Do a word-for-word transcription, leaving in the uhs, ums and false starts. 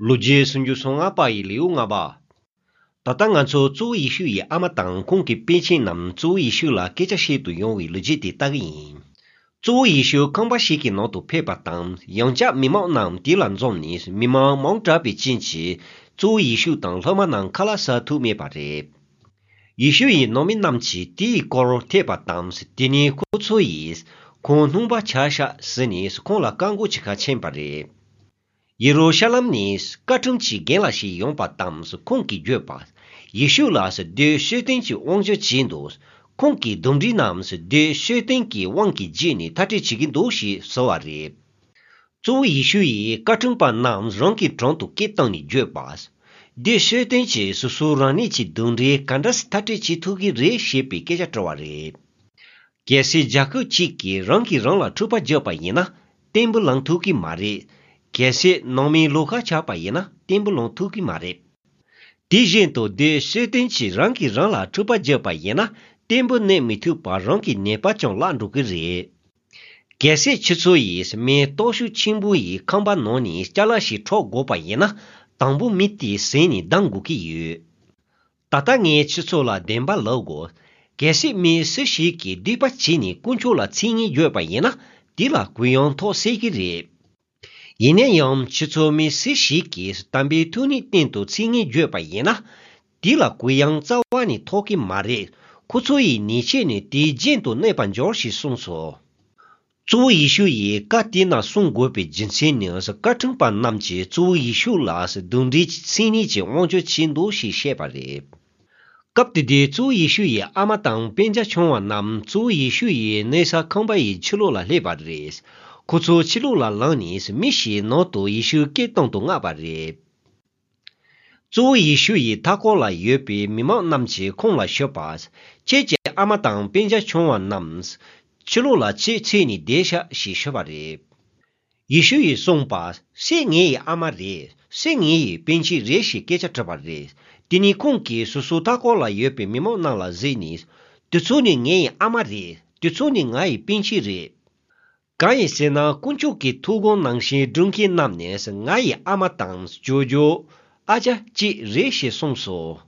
ལོ་རྒྱུས་སུམ་ཅུ་སོ་ལྔ་པ་ཡི་ལེའུ་ལྔ་པ། ད་ལྟ་ང་ཚོ་གཙོ་བོ་ཡེ་ཤུ་ཡི་ཨ་མ་དང་ཁོང་གི་པཎ་ཆེན་རྣམས་གཙོ་བོ་ཡེ་ཤུ་ལ་སྐད་ཆ་བཤད་དུ་ཡོང་བའི་ལོ་རྒྱུས་དེ་ལྟ་གི་ཡིན། གཙོ་བོ་ཡེ་ཤུ་ཁང་པ་ཞིག་གི་ནང་དུ་ཕེབས་པ་དང་། ཡང་བསྐྱར་མི་མང་རྣམས་དེ་ལ་འཛོམས་ནས། མི་མང་མང་དྲགས་པའི་རྐྱེན་གྱིས་གཙོ་བོ་ཡེ་ཤུ་དང་སློབ་མ་རྣམས་ཁ་ལག་ཟ་ཐུབ་མེད་པ་རེད། ཡེ་ཤུ་ཡི་ནང་མི་རྣམས་ཀྱིས་དེའི་སྐོར་ཐོས་པ་དང་། དེ་ནས་ཁོ་ཚོ་ཡིས་ཁོང་སྣང་བ་ཆ་བཞག་ཟེར་ནས་ཁོང་ལ་བཀའ་བསྒོ་བྱེད་གར་ཕྱིན་པ་རེད། ཡེ་རུ་ཤ་ལམ་ནས་བཀའ་ཁྲིམས་ཀྱི་རྒན་ལགས་ཤིག་ཡོང་པ་དང་། ཁོང་གིས་བརྗོད་པ། ཡེ་ཤུ་ལ་བདུད་སྤྱོད་ལྡན་གྱི་དབང་ཆ་བྱིན་འདུག་ཁོང་གིས་གདོན་འདྲེ་རྣམས་བདུད་སྤྱོད་ལྡན་གྱི་དབང་གིས་བྱས་ནས་མཐར་སྐྲོད་བྱེད་ཀྱི་འདུག་ཞེས་ཟེར་བ་རེད། གཙོ་བོ་ཡེ་ཤུ་ཡིས་བཀའ་ཁྲིམས་པ་རྣམས་རང་གི་དྲུང་དུ་སྐད་བཏང་ནས་བརྗོད་པ། བདུད་སྤྱོད་ལྡན་གྱིས་སོ་སོ་རང་ཉིད་ཀྱི་གདོན་འདྲེ་ག་འདྲ་སེ་མཐར་སྐྲོད་བྱེད་ཐུབ་ཀྱི་རེད་ཞེས་པའི་སྐད་ཆ་དྲི་བ་རེད། གལ་སྲིད་རྒྱལ་ཁབ་ཅིག་གིས་རང་གིས་རང་ལ་འཁྲུག་པ་བརྒྱབ་པ་ཡིན་ན་བརྟན་པོ་ལངས་ཐུབ་ཀྱི་མ་རེད། གལ་སྲིད་ནང་མིའི་བློ་ཁ་ཆགས་པ་ཡིན་ན་བརྟན་པོ་ལངས་ཐུབ་ཀྱི་མ་རེད། དེ་བཞིན་དུ་བདུད་སྤྱོད་ལྡན་གྱིས་རང་གིས་རང་ལ་འཁྲུག་པ་བརྒྱབ་པ་ཡིན་ན་བརྟན་པོ་གནས་མི་ཐུབ་པར་རང་གི་ནད་པ་ཀྱང་བརླག་འགྲོ་གི་རེད། གལ་སྲིད་ཁྱེད་ཚོ་ཡིས་མི་སྟོབས་ཤུགས་ཆེན་པོ་ཡི་ཁང་པ་ནང་ནས་ཅ་ལག་ཞིག་འཕྲོག་དགོས་པ་ཡིན་ན་དང་པོ་མི་དེ་བཟུང་ནས་བསྡམ་དགོས་ཀྱི་ཡོད། ད་ལྟ་ངས་ཁྱེད་ཚོ་ལ་བདེན་པ་ལབ་དགོས། གལ་སྲིད་མི་སུ་ཞིག་གིས་སྡིག་པ་བྱས་ནས་དཀོན་མཆོག་ལ་མཚན་སྙན་བརྗོད་པ་ཡིན་ན་དེ་ལ་གུ་ཡངས་ཐོབ་སྲིད་ཀྱི་རེད། ཡིན་ན་ཡང་ཁྱེད་ཚོ་མི་སུ་ཞིག་གིས་དམ་པའི་ཐུགས་ཉིད་སྟེང་དུ་མཚན་སྙན་བརྗོད་པ་ཡིན་ན་དེ་ལ་གུ་ཡངས་རྩ་བ་ནས་ཐོབ་ཀྱི་མ་རེད། ཁོ་ཚོ་ཡི་ཉེས་ཆད་ནི་དེའི་རྒྱན་དུ་གནས་པར་འགྱུར་ཞེས་གསུངས་སོ། གཙོ་བོ་ཡེ་ཤུ་ཡིས་བཀའ་དེ་རྣམས་གསུང་དགོས་པའི་རྒྱུ་མཚན་ནི། བཀའ་ཁྲིམས་པ་རྣམས་ཀྱིས་གཙོ་བོ་ཡེ་ཤུ་ལ་གདོན་འདྲེ་གི་མཚན་ཉིད་ཀྱི་དབང་ཆ་བྱིན་འདུག་ཞེས་བཤད་པ་རེད། སྐབས་དེ་དུས་གཙོ་བོ་ཡེ་ཤུ་ཡི་ཨ་མ་དང་སྤུན་ཀྱག་ཆུང་བ་རྣམས་གཙོ་བོ་ཡེ་ཤུ་ཡི་གནས་ས་ཁང་པ་ཡི་ཕྱི་ལོགས་ལ་སླེབས་པ་རེད། ཁོ་ཚོ་ཕྱི་ལོགས་ལ་ལངས་ནས་མི་ཞིག་ནང་དུ་ཡེ་ཤུ་སྐད་གཏོང་དུ་མངགས་པ་རེད། གཙོ་བོ་ཡེ་ཤུ་ཡི་མཐའ་འཁོར་ལ་ཡོད་པའི་མི་མང་རྣམས་ཀྱིས་ཁོང་ལ་ཞུས་པ། ཁྱེད་ཀྱི་ཨ་མ་དང་སྤུན་ཀྱག་ཆུང་བ་རྣམས་ཕྱི་ལོགས་ལ་ཕྱིར་ཚུད་ནས་བསྡད་ཤག་ཞེས་ཞུས་པ་རེད། ཡེ་ཤུ་ཡིས་གསུངས་པ། སུས་ངའི་ཨ་མ་རེད། སུས་ངའི་སྤུན་མཆེད་རེད་ཞེས་སྐད་ཆ་དྲིས་པ་རེད། དེ་ནས་ཁོང་གིས་སོ་སོའི་མཐའ་འཁོར་ལ་ཡོད་པའི་མི་མང་རྣམས་ལ་གཟིགས་ནས། དེ་ཚོ་ནི་ངའི་ཨ་མ་རེད། དེ་ཚོ་ནི་ང་ཡི་སྤུན་མཆེད་རེད། གང་ཡིན་ཟེར་ན་དཀོན་མཆོག་གི་ཐུགས་དགོངས་ནང་བཞིན་སྒྲུབ་མཁན་རྣམས་ནི་ང་ཡི་ཨ་མ་དང་ཇོ་ཇོ། ཨ་ཅག་ཅིག་རེད་ཞེས་གསུངས་སོ།